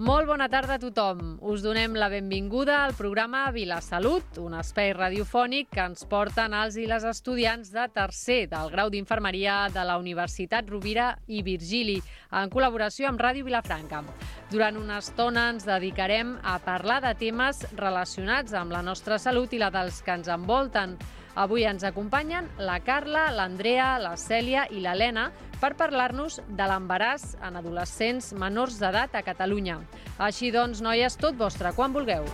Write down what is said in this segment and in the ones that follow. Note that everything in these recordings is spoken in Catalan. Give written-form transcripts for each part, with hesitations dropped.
Molt bona tarda a tothom. Us donem la benvinguda al programa Vilasalut, un espai radiofònic que ens porten els i les estudiants de tercer del grau d'Infermeria de la Universitat Rovira i Virgili, en col·laboració amb Ràdio Vilafranca. Durant una estona ens dedicarem a parlar de temes relacionats amb la nostra salut i la dels que ens envolten. Avui ens acompanyen la Carla, l'Andrea, la Cèlia i l'Helena per parlar-nos de l'embaràs en adolescents menors d'edat a Catalunya. Així doncs, noies, tot vostre, quan vulgueu.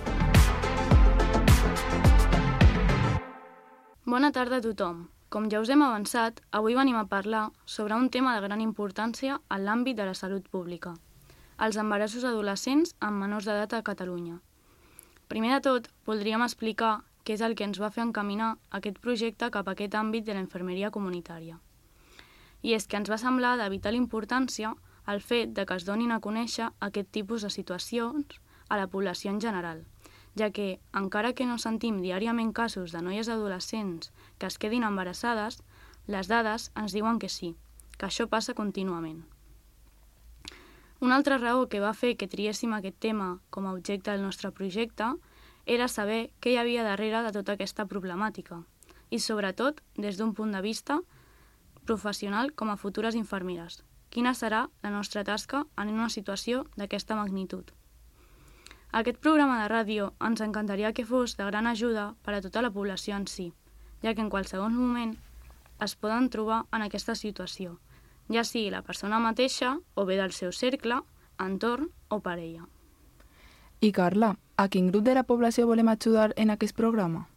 Bona tarda a tothom. Com ja us hem avançat, avui venim a parlar sobre un tema de gran importància en l'àmbit de la salut pública: els embarassos adolescents amb menors d'edat a Catalunya. Primer de tot, voldríem explicar què és el que ens va fer encaminar aquest projecte cap a aquest àmbit de la infermeria comunitària. I és que ens va semblar de vital importància el fet de que es donin a conèixer aquest tipus de situacions a la població en general, ja que, encara que no sentim diàriament casos de noies adolescents que es quedin embarassades, les dades ens diuen que sí, que això passa contínuament. Una altra raó que va fer que triéssim aquest tema com a objecte del nostre projecte era saber què hi havia darrere de tota aquesta problemàtica i, sobretot, des d'un punt de vista professional com a futures infermeres. Quina serà la nostra tasca en una situació d'aquesta magnitud? Aquest programa de ràdio ens encantaria que fos de gran ajuda per a tota la població en si, ja que en qualsevol moment es poden trobar en aquesta situació, ja sigui la persona mateixa o bé del seu cercle, entorn o parella. I Carla, a quin grup de la població volem ajudar en aquest programa?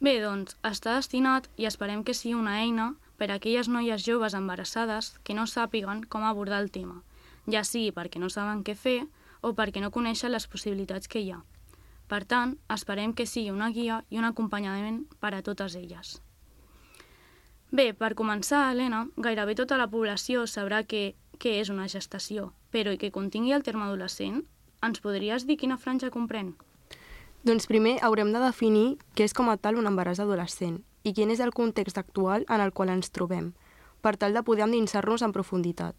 Bé, doncs, està destinat i esperem que sigui una eina per a aquelles noies joves embarassades que no sàpiguen com abordar el tema, ja sigui perquè no saben què fer o perquè no coneixen les possibilitats que hi ha. Per tant, esperem que sigui una guia i un acompanyament per a totes elles. Bé, per començar, Helena, gairebé tota la població sabrà què és una gestació, però i que contingui el terme adolescent, ens podries dir quina franja comprèn? Doncs primer haurem de definir què és com a tal un embaràs adolescent i quin és el context actual en el qual ens trobem, per tal de poder endinsar-nos en profunditat.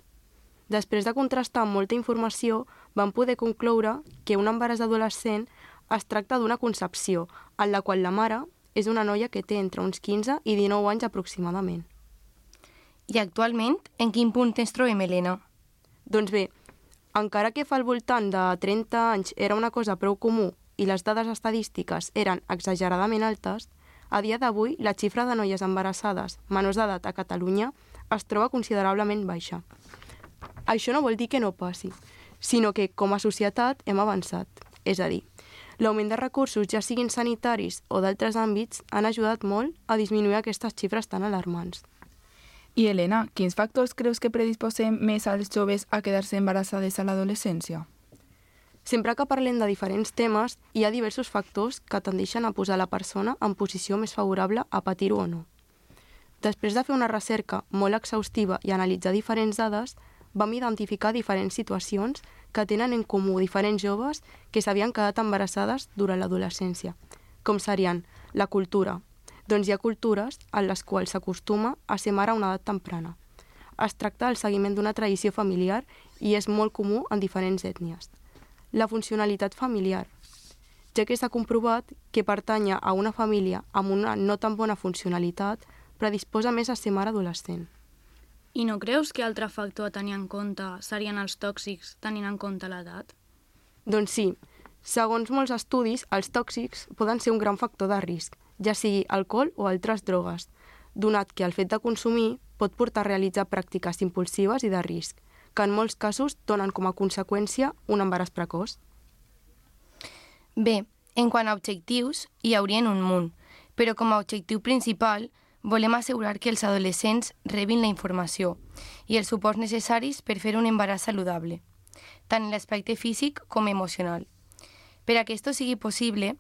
Després de contrastar amb molta informació, vam poder concloure que un embaràs adolescent es tracta d'una concepció, en la qual la mare és una noia que té entre uns 15 i 19 anys aproximadament. I actualment, en quin punt ens trobem, Helena? Doncs bé, encara que fa al voltant de 30 anys era una cosa prou comú i les dades estadístiques eren exageradament altes, a dia d'avui la xifra de noies embarassades menors d'edat a Catalunya es troba considerablement baixa. Això no vol dir que no passi, sinó que com a societat hem avançat. És a dir, l'augment de recursos, ja siguin sanitaris o d'altres àmbits, han ajudat molt a disminuir aquestes xifres tan alarmants. I Helena, quins factors creus que predisposem més als joves a quedar-se embarassades a l'adolescència? Sempre que parlem de diferents temes, hi ha diversos factors que tendeixen a posar la persona en posició més favorable a patir-ho o no. Després de fer una recerca molt exhaustiva i analitzar diferents dades, vam identificar diferents situacions que tenen en comú diferents joves que s'havien quedat embarassades durant l'adolescència, com serien la cultura. Doncs hi ha cultures en les quals s'acostuma a ser mare a una edat temprana. Es tracta del seguiment d'una tradició familiar i és molt comú en diferents ètnies. La funcionalitat familiar, ja que s'ha comprovat que pertànyer a una família amb una no tan bona funcionalitat predisposa més a ser mare adolescent. I no creus que altre factor a tenir en compte serien els tòxics tenint en compte l'edat? Doncs sí, segons molts estudis, els tòxics poden ser un gran factor de risc, ja sigui alcohol o altres drogues, donat que el fet de consumir pot portar a realitzar pràctiques impulsives i de risc, que en molts casos donen com a conseqüència un embaràs precoç. Bé, en quant a objectius, hi haurien un munt, però com a objectiu principal volem assegurar que els adolescents rebin la informació i els suports necessaris per fer un embaràs saludable, tant en l'aspecte físic com emocional. Per a que això sigui possible,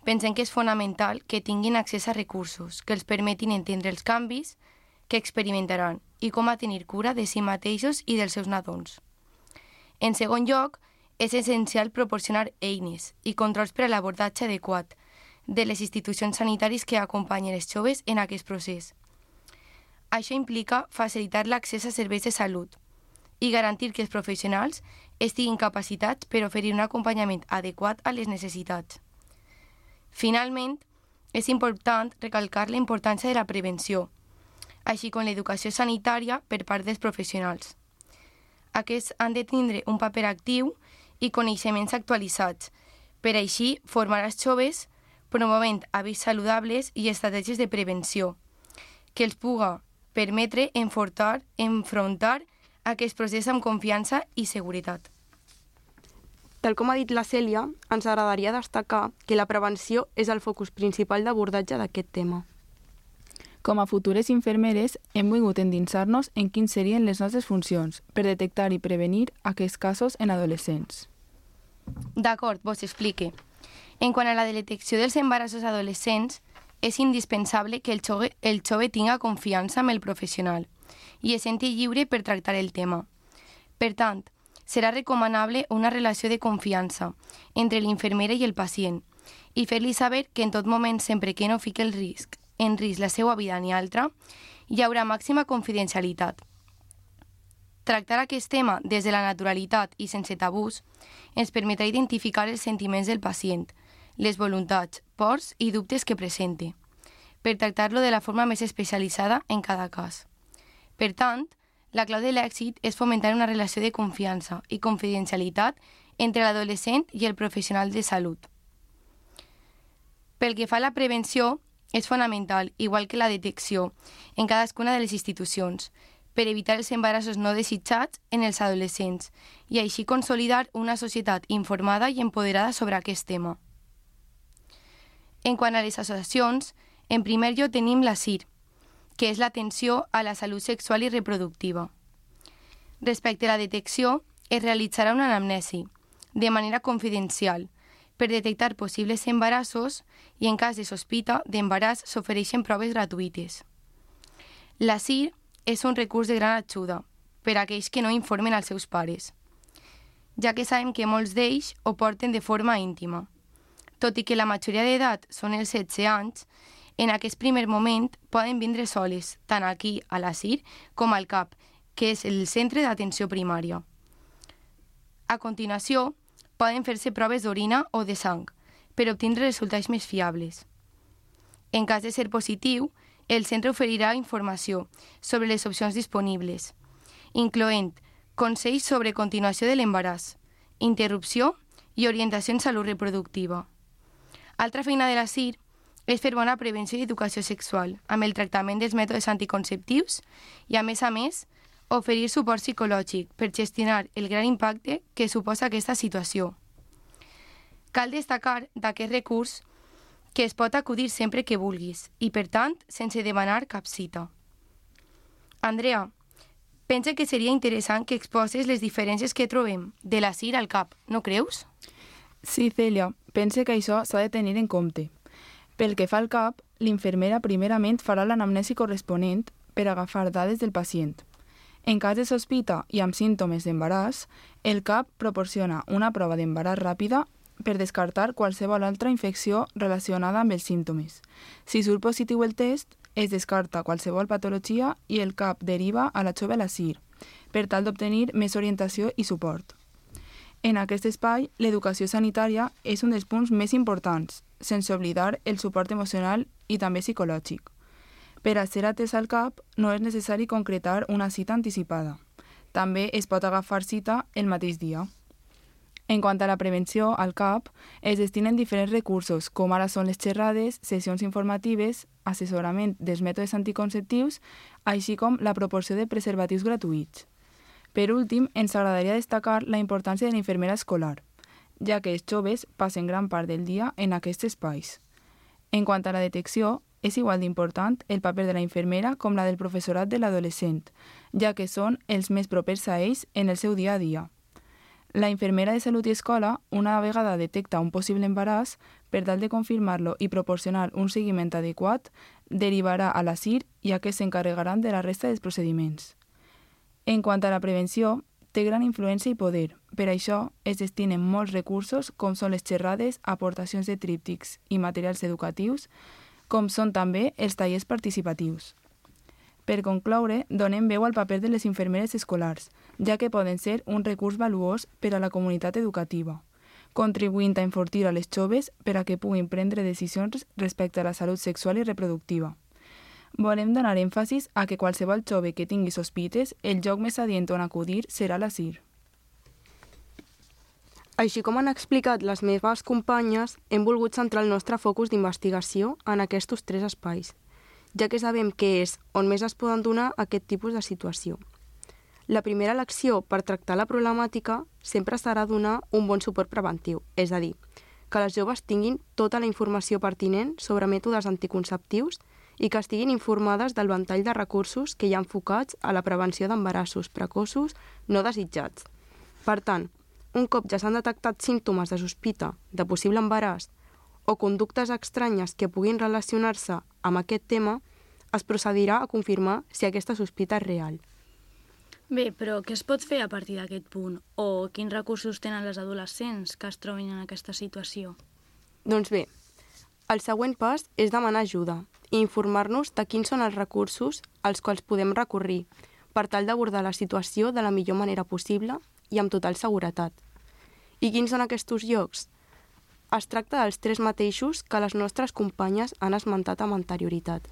pensem que és fonamental que tinguin accés a recursos que els permetin entendre els canvis que experimentaran i com a tenir cura de si mateixos i dels seus nadons. En segon lloc, és essencial proporcionar eines i controls per a l'abordatge adequat de les institucions sanitàries que acompanyen els joves en aquest procés. Això implica facilitar l'accés a serveis de salut, i garantir que els professionals estiguin capacitats per oferir un acompanyament adequat a les necessitats. Finalment, és important recalcar la importància de la prevenció, així com l'educació sanitària per part dels professionals. Aquests han de tindre un paper actiu i coneixements actualitzats, per així formar els joves promovent hàbits saludables i estratègies de prevenció, que els puga permetre enfrontar aquest procés amb confiança i seguretat. Tal com ha dit la Cèlia, ens agradaria destacar que la prevenció és el focus principal d'abordatge d'aquest tema. Com a futures infermeres, hem volgut endinsar-nos en quins serien les nostres funcions per detectar i prevenir aquests casos en adolescents. D'acord, vos explique. En quant a la detecció dels embarassos adolescents, és indispensable que el jove tinga confiança amb el professional i es senti lliure per tractar el tema. Per tant, serà recomanable una relació de confiança entre l'infermera i el pacient i fer-li saber que en tot moment, sempre que no fiqui en risc la seva vida ni altra, hi haurà màxima confidencialitat. Tractar aquest tema des de la naturalitat i sense tabús ens permetrà identificar els sentiments del pacient, les voluntats, pors i dubtes que presente, per tractar-lo de la forma més especialitzada en cada cas. Per tant, la clau de l'èxit és fomentar una relació de confiança i confidencialitat entre l'adolescent i el professional de salut. Pel que fa a la prevenció, és fonamental, igual que la detecció, en cadascuna de les institucions, per evitar els embarassos no desitjats en els adolescents i així consolidar una societat informada i empoderada sobre aquest tema. En quant a les associacions, en primer lloc tenim la CIR, que és l'atenció a la salut sexual i reproductiva. Respecte a la detecció, es realitzarà una anamnesi, de manera confidencial, per detectar possibles embarassos i en cas de sospita d'embaràs s'ofereixen proves gratuïtes. La CIR és un recurs de gran ajuda per a aquells que no informen als seus pares, ja que sabem que molts d'ells ho porten de forma íntima. Tot i que la majoria d'edat són els 16 anys, en aquest primer moment poden vindre soles, tant aquí a la CIR com al CAP, que és el centre d'atenció primària. A continuació, poden fer-se proves d'orina o de sang per obtindre resultats més fiables. En cas de ser positiu, el centre oferirà informació sobre les opcions disponibles, incloent consells sobre continuació de l'embaràs, interrupció i orientació en salut reproductiva. Altra feina de la CIR és fer bona prevenció i educació sexual amb el tractament dels mètodes anticonceptius i, a més, oferir suport psicològic per gestionar el gran impacte que suposa aquesta situació. Cal destacar d'aquest recurs que es pot acudir sempre que vulguis i, per tant, sense demanar cap cita. Andrea, pensa que seria interessant que exposes les diferències que trobem de la CIR al CAP, no creus? Sí, Cèlia, pense que això s'ha de tenir en compte. Pel que fa al CAP, l'infermera primerament farà l'anamnesi corresponent per agafar dades del pacient. En cas de sospita i amb símptomes d'embaràs, el CAP proporciona una prova d'embaràs ràpida per descartar qualsevol altra infecció relacionada amb els símptomes. Si surt positiu el test, es descarta qualsevol patologia i el CAP deriva a la jove a la CIR, per tal d'obtenir més orientació i suport. En aquest espai, l'educació sanitària és un dels punts més importants, sense oblidar el suport emocional i també psicològic. Per a ser atès al CAP, no és necessari concretar una cita anticipada. També es pot agafar cita el mateix dia. En quant a la prevenció, al CAP es destinen diferents recursos, com ara són les xerrades, sessions informatives, assessorament dels mètodes anticonceptius, així com la proporció de preservatius gratuïts. Per últim, ens agradaria destacar la importància de la infermera escolar, ja que els joves passen gran part del dia en aquests espais. En quant a la detecció, és igual d'important el paper de la infermera com la del professorat de l'adolescent, ja que són els més propers a ells en el seu dia a dia. La infermera de salut i escola, una vegada detecta un possible embaràs, per tal de confirmar-lo i proporcionar un seguiment adequat, derivarà a la CIR i aquests s'encarregaran de la resta dels procediments. En quant a la prevenció, té gran influència i poder. Per això es destinen molts recursos, com són les xerrades, aportacions de tríptics i materials educatius, com són també els tallers participatius. Per concloure, donem veu al paper de les infermeres escolars, ja que poden ser un recurs valuós per a la comunitat educativa, contribuint a enfortir a les joves per a que puguin prendre decisions respecte a la salut sexual i reproductiva. Volem donar èmfasis a que qualsevol jove que tingui sospites, el lloc més adient on acudir serà la CIR. Així com han explicat les meves companyes, hem volgut centrar el nostre focus d'investigació en aquests 3 espais, ja que sabem que és on més es poden donar aquest tipus de situació. La primera elecció per tractar la problemàtica sempre serà donar un bon suport preventiu, és a dir, que les joves tinguin tota la informació pertinent sobre mètodes anticonceptius i que estiguin informades del ventall de recursos que hi ha enfocats a la prevenció d'embarassos precoços no desitjats. Per tant, un cop ja s'han detectat símptomes de sospita de possible embaràs o conductes estranyes que puguin relacionar-se amb aquest tema, es procedirà a confirmar si aquesta sospita és real. Bé, però què es pot fer a partir d'aquest punt? O quins recursos tenen les adolescents que es trobin en aquesta situació? Doncs bé, el següent pas és demanar ajuda i informar-nos de quins són els recursos als quals podem recórrer per tal d'abordar la situació de la millor manera possible i amb total seguretat. I quins són aquests llocs? Es tracta dels 3 mateixos que les nostres companyes han esmentat amb anterioritat,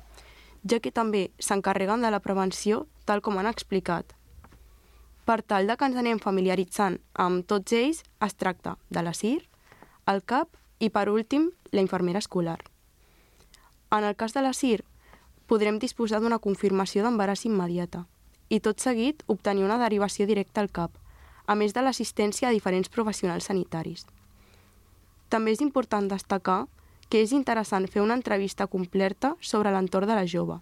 ja que també s'encarreguen de la prevenció tal com han explicat. Per tal de que ens anem familiaritzant amb tots ells, es tracta de la CIR, el CAP i, per últim, la infermera escolar. En el cas de la CIR, podrem disposar d'una confirmació d'embaràs immediata i tot seguit obtenir una derivació directa al CAP, a més de l'assistència a diferents professionals sanitaris. També és important destacar que és interessant fer una entrevista completa sobre l'entorn de la jove,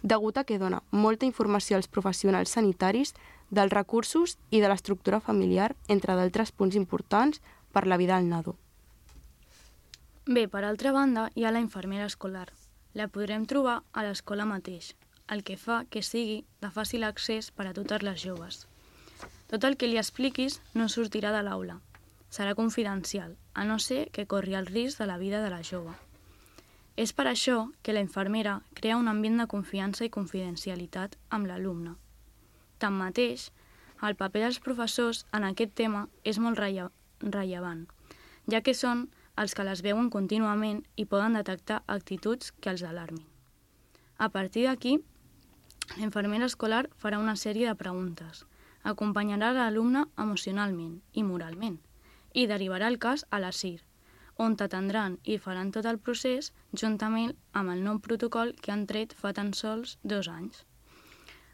degut a que dona molta informació als professionals sanitaris dels recursos i de l'estructura familiar, entre d'altres punts importants per la vida del nadó. Bé, per altra banda, hi ha la infermera escolar. La podrem trobar a l'escola mateix, el que fa que sigui de fàcil accés per a totes les joves. Tot el que li expliquis no sortirà de l'aula. Serà confidencial, a no ser que corri el risc de la vida de la jove. És per això que la infermera crea un ambient de confiança i confidencialitat amb l'alumne. Tanmateix, el paper dels professors en aquest tema és molt rellevant, ja que són els que les veuen contínuament i poden detectar actituds que els alarmin. A partir d'aquí, la infermera escolar farà una sèrie de preguntes, acompanyarà l'alumne emocionalment i moralment i derivarà el cas a la CIR, on t'atendran i faran tot el procés juntament amb el nou protocol que han tret fa tan sols 2 anys.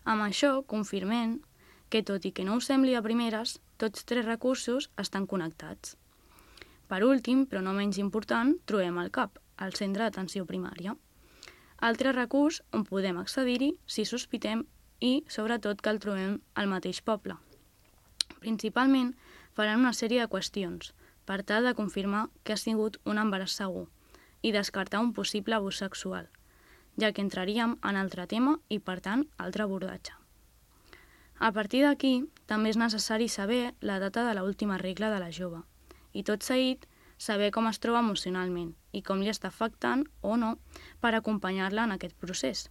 Amb això confirmem que, tot i que no us sembli a primeres, tots 3 recursos estan connectats. Per últim, però no menys important, trobem el CAP, el Centre d'Atenció Primària. Altre recurs on podem accedir-hi si sospitem i, sobretot, que el trobem al mateix poble. Principalment, faran una sèrie de qüestions per tal de confirmar que ha sigut un embaràs segur i descartar un possible abús sexual, ja que entraríem en altre tema i, per tant, altre abordatge. A partir d'aquí, també és necessari saber la data de l'última regla de la jove i, tot seguit, saber com es troba emocionalment i com li està afectant o no per acompanyar-la en aquest procés.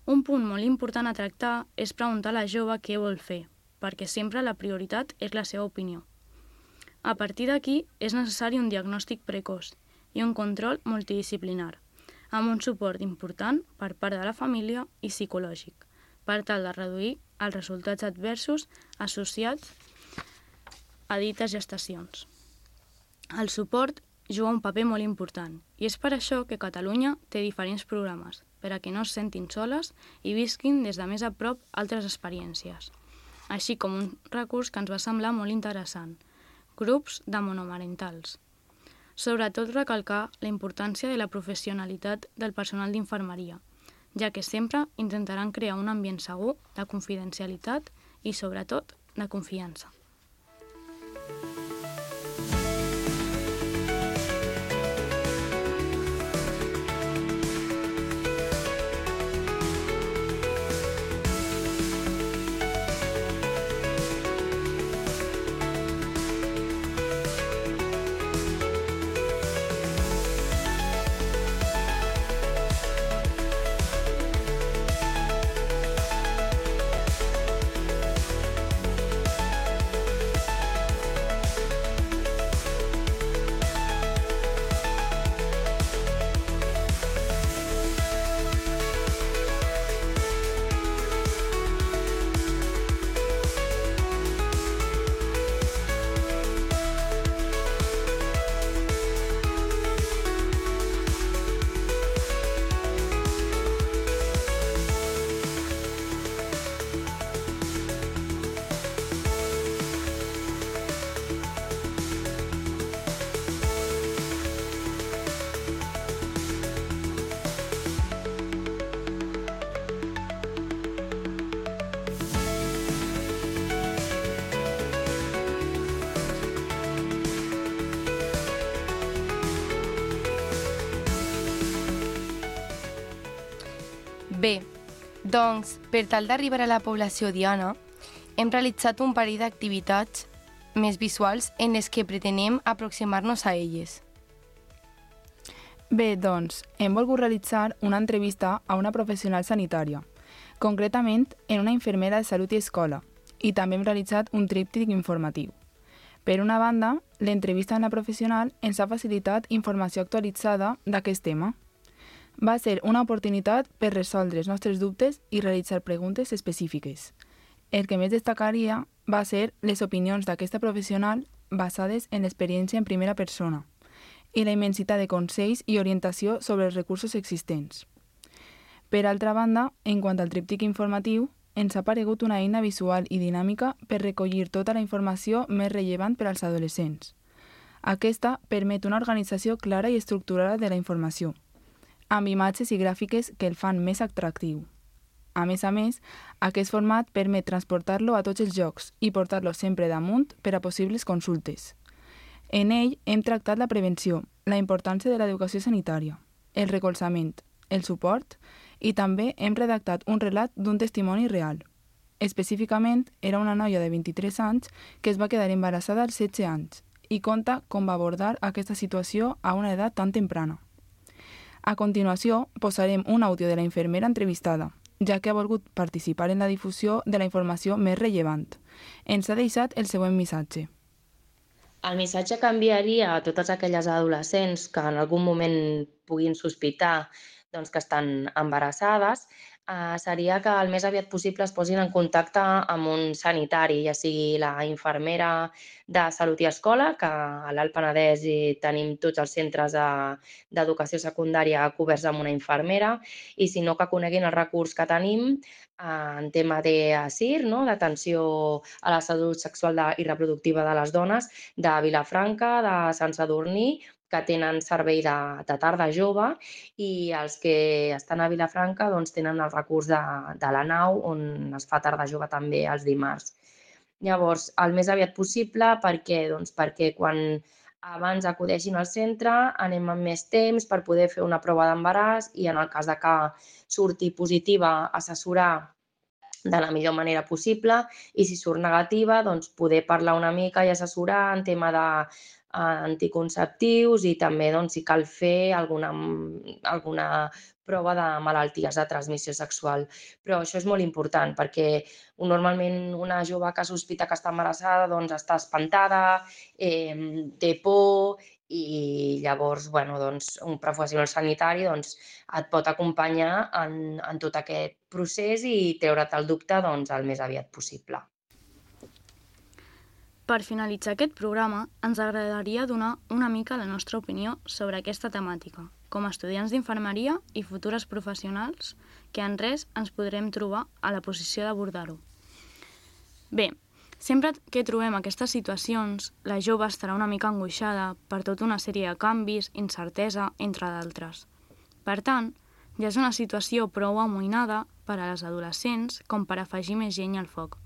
Un punt molt important a tractar és preguntar a la jove què vol fer, perquè sempre la prioritat és la seva opinió. A partir d'aquí, és necessari un diagnòstic precoç i un control multidisciplinar, amb un suport important per part de la família i psicològic, per tal de reduir els resultats adversos associats a dites gestacions. El suport juga un paper molt important i és per això que Catalunya té diferents programes per a que no es sentin soles i visquin des de més a prop altres experiències, així com un recurs que ens va semblar molt interessant, grups de monomarentals. Sobretot recalcar la importància de la professionalitat del personal d'infermeria, ja que sempre intentaran crear un ambient segur de confidencialitat i, sobretot, de confiança. Doncs, per tal d'arribar a la població diana, hem realitzat un parell d'activitats més visuals en les que pretenem aproximar-nos a elles. Bé, doncs, hem volgut realitzar una entrevista a una professional sanitària, concretament en una infermera de salut i escola, i també hem realitzat un tríptic informatiu. Per una banda, l'entrevista amb la professional ens ha facilitat informació actualitzada d'aquest tema. Va ser una oportunitat per resoldre els nostres dubtes i realitzar preguntes específiques. El que més destacaria va ser les opinions d'aquesta professional basades en l'experiència en primera persona i la immensitat de consells i orientació sobre els recursos existents. Per altra banda, en quant al tríptic informatiu, ens ha paregut una eina visual i dinàmica per recollir tota la informació més rellevant per als adolescents. Aquesta permet una organització clara i estructurada de la informació, amb imatges i gràfiques que el fan més atractiu. A més, aquest format permet transportar-lo a tots els llocs i portar-lo sempre damunt per a possibles consultes. En ell hem tractat la prevenció, la importància de l'educació sanitària, el recolzament, el suport i també hem redactat un relat d'un testimoni real. Específicament, era una noia de 23 anys que es va quedar embarassada als 16 anys i conta com va abordar aquesta situació a una edat tan temprana. A continuació, posarem un àudio de la infermera entrevistada, ja que ha volgut participar en la difusió de la informació més rellevant. Ens ha deixat el següent missatge. El missatge que enviaria a totes aquelles adolescents que en algun moment puguin sospitar que estan embarassades seria que el més aviat possible es posin en contacte amb un sanitari, ja sigui la infermera de Salut i Escola, que a l'Alt Penedès tenim tots els centres d'educació secundària coberts amb una infermera, i si no, que coneguin el recurs que tenim en tema d'ASIR, d'atenció a la salut sexual i reproductiva de les dones, de Vilafranca, de Sant Sadurní, que tenen servei de tarda jove, i els que estan a Vilafranca tenen el recurs de la nau, on es fa tarda jove també els dimarts. Llavors, el més aviat possible, perquè quan abans acudeixin al centre anem amb més temps per poder fer una prova d'embaràs i en el cas de que surti positiva assessorar de la millor manera possible, i si surt negativa poder parlar una mica i assessorar en tema anticonceptius i també si cal fer alguna prova de malalties de transmissió sexual. Però això és molt important perquè normalment una jove que sospita que està embarassada està espantada, té por, i llavors un professional sanitari et pot acompanyar en tot aquest procés i treure't el dubte el més aviat possible. Per finalitzar aquest programa, ens agradaria donar una mica la nostra opinió sobre aquesta temàtica, com a estudiants d'infermeria i futures professionals que en res ens podrem trobar a la posició d'abordar-ho. Bé, sempre que trobem aquestes situacions, la jove estarà una mica angoixada per tota una sèrie de canvis, incertesa, entre d'altres. Per tant, ja és una situació prou amoïnada per a les adolescents com per afegir més llenya al foc.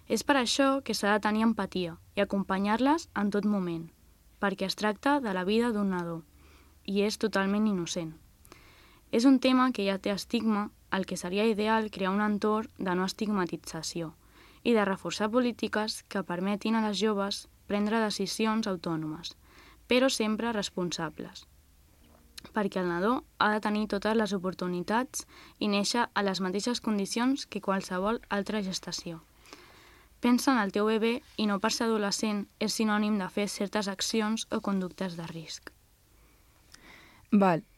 És per això que s'ha de tenir empatia i acompanyar-les en tot moment, perquè es tracta de la vida d'un nadó i és totalment innocent. És un tema que ja té estigma, al que seria ideal crear un entorn de no estigmatització i de reforçar polítiques que permetin a les joves prendre decisions autònomes, però sempre responsables, perquè el nadó ha de tenir totes les oportunitats i néixer a les mateixes condicions que qualsevol altra gestació. Pensa en el teu bebè i no per ser adolescent és sinònim de fer certes accions o conductes de risc.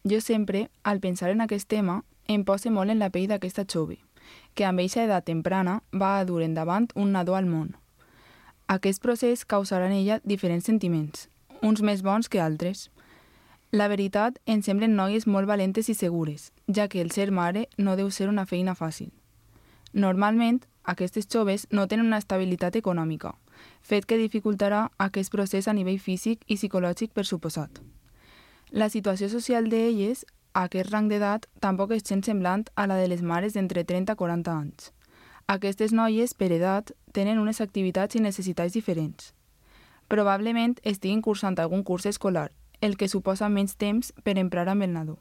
Jo sempre, al pensar en aquest tema, em poso molt en la pell d'aquesta jove, que amb eixa edat temprana va a dur endavant un nadó al món. Aquest procés causarà en ella diferents sentiments, uns més bons que altres. La veritat, ens semblen noies molt valentes i segures, ja que el ser mare no deu ser una feina fàcil. Normalment, aquestes joves no tenen una estabilitat econòmica, fet que dificultarà aquest procés a nivell físic i psicològic per suposat. La situació social d'elles, a aquest rang d'edat, tampoc és gens semblant a la de les mares d'entre 30 i 40 anys. Aquestes noies, per edat, tenen unes activitats i necessitats diferents. Probablement estiguin cursant algun curs escolar, el que suposa menys temps per emprar amb el nadó.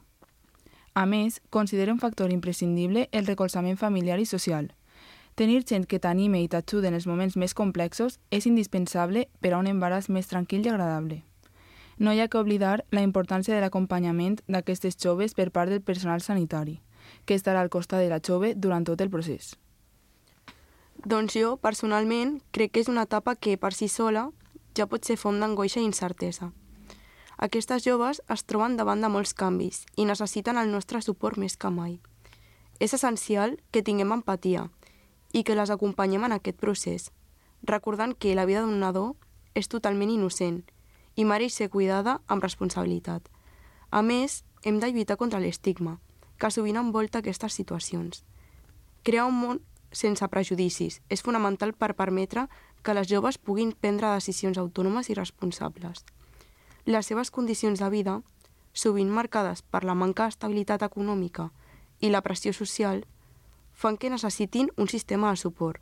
A més, considera un factor imprescindible el recolzament familiar i social. Tenir gent que t'anime i t'ajuda en els moments més complexos és indispensable per a un embaràs més tranquil i agradable. No hi ha que oblidar la importància de l'acompanyament d'aquestes joves per part del personal sanitari, que estarà al costat de la jove durant tot el procés. Doncs jo, personalment, crec que és una etapa que, per si sola, ja pot ser font d'angoixa i incertesa. Aquestes joves es troben davant de molts canvis i necessiten el nostre suport més que mai. És essencial que tinguem empatia i que les acompanyem en aquest procés, recordant que la vida d'un nadó és totalment innocent i mereix ser cuidada amb responsabilitat. A més, hem de lluitar contra l'estigma, que sovint envolta aquestes situacions. Crear un món sense prejudicis és fonamental per permetre que les joves puguin prendre decisions autònomes i responsables. Les seves condicions de vida, sovint marcades per la manca d'estabilitat econòmica i la pressió social, fan que necessitin un sistema de suport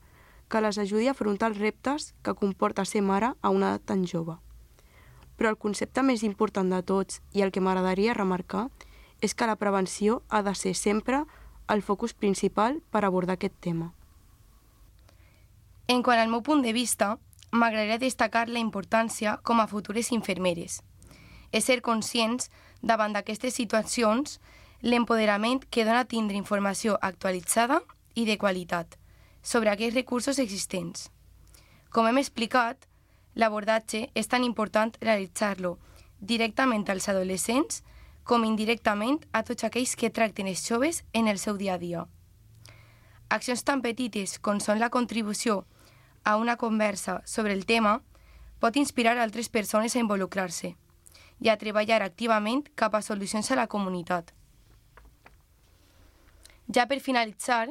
que les ajudi a afrontar els reptes que comporta ser mare a una edat tan jove. Però el concepte més important de tots i el que m'agradaria remarcar és que la prevenció ha de ser sempre el focus principal per abordar aquest tema. En quant al meu punt de vista, m'agradaria destacar la importància com a futures infermeres. És ser conscients, davant d'aquestes situacions, l'empoderament que dona tindre informació actualitzada i de qualitat sobre aquests recursos existents. Com hem explicat, l'abordatge és tan important realitzar-lo directament als adolescents com indirectament a tots aquells que tracten els joves en el seu dia a dia. Accions tan petites com són la contribució a una conversa sobre el tema pot inspirar altres persones a involucrar-se i a treballar activament cap a solucions a la comunitat. Ja per finalitzar,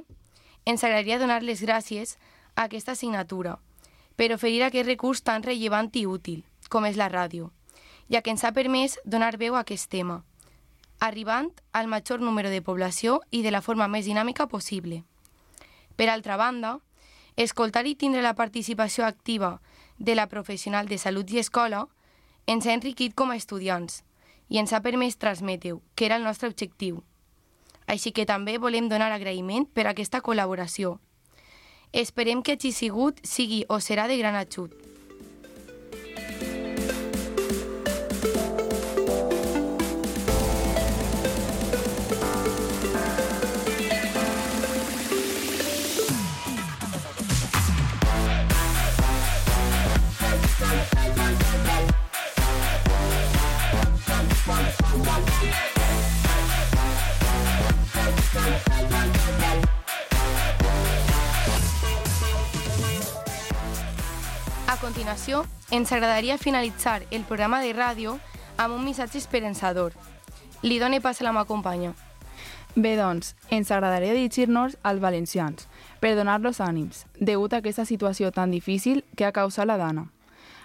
ens agradaria donar les gràcies a aquesta assignatura per oferir aquest recurs tan rellevant i útil com és la ràdio, ja que ens ha permès donar veu a aquest tema, arribant al major número de població i de la forma més dinàmica possible. Per altra banda, escoltar i tindre la participació activa de la professional de salut i escola ens ha enriquit com a estudiants i ens ha permès transmetre-ho, que era el nostre objectiu. Així que també volem donar agraïment per aquesta col·laboració. Esperem que hagi sigut, sigui o serà de gran ajut. A continuació, ens agradaria finalitzar el programa de ràdio amb un missatge esperançador. Li done pas a la meva companya. Bé, doncs, ens agradaria dirigir-nos als valencians per donar-los ànims, degut a aquesta situació tan difícil que ha causat la Dana.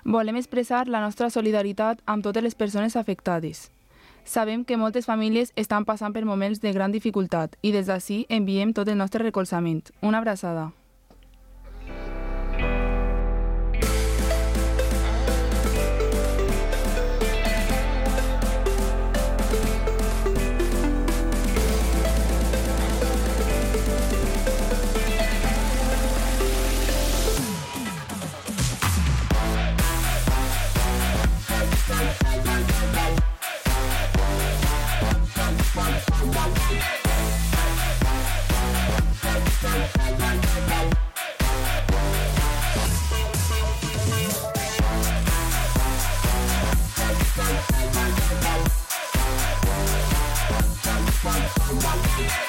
Volem expressar la nostra solidaritat amb totes les persones afectades. Sabem que moltes famílies estan passant per moments de gran dificultat i des d'ací enviem tot el nostre recolzament. Una abraçada. Bye.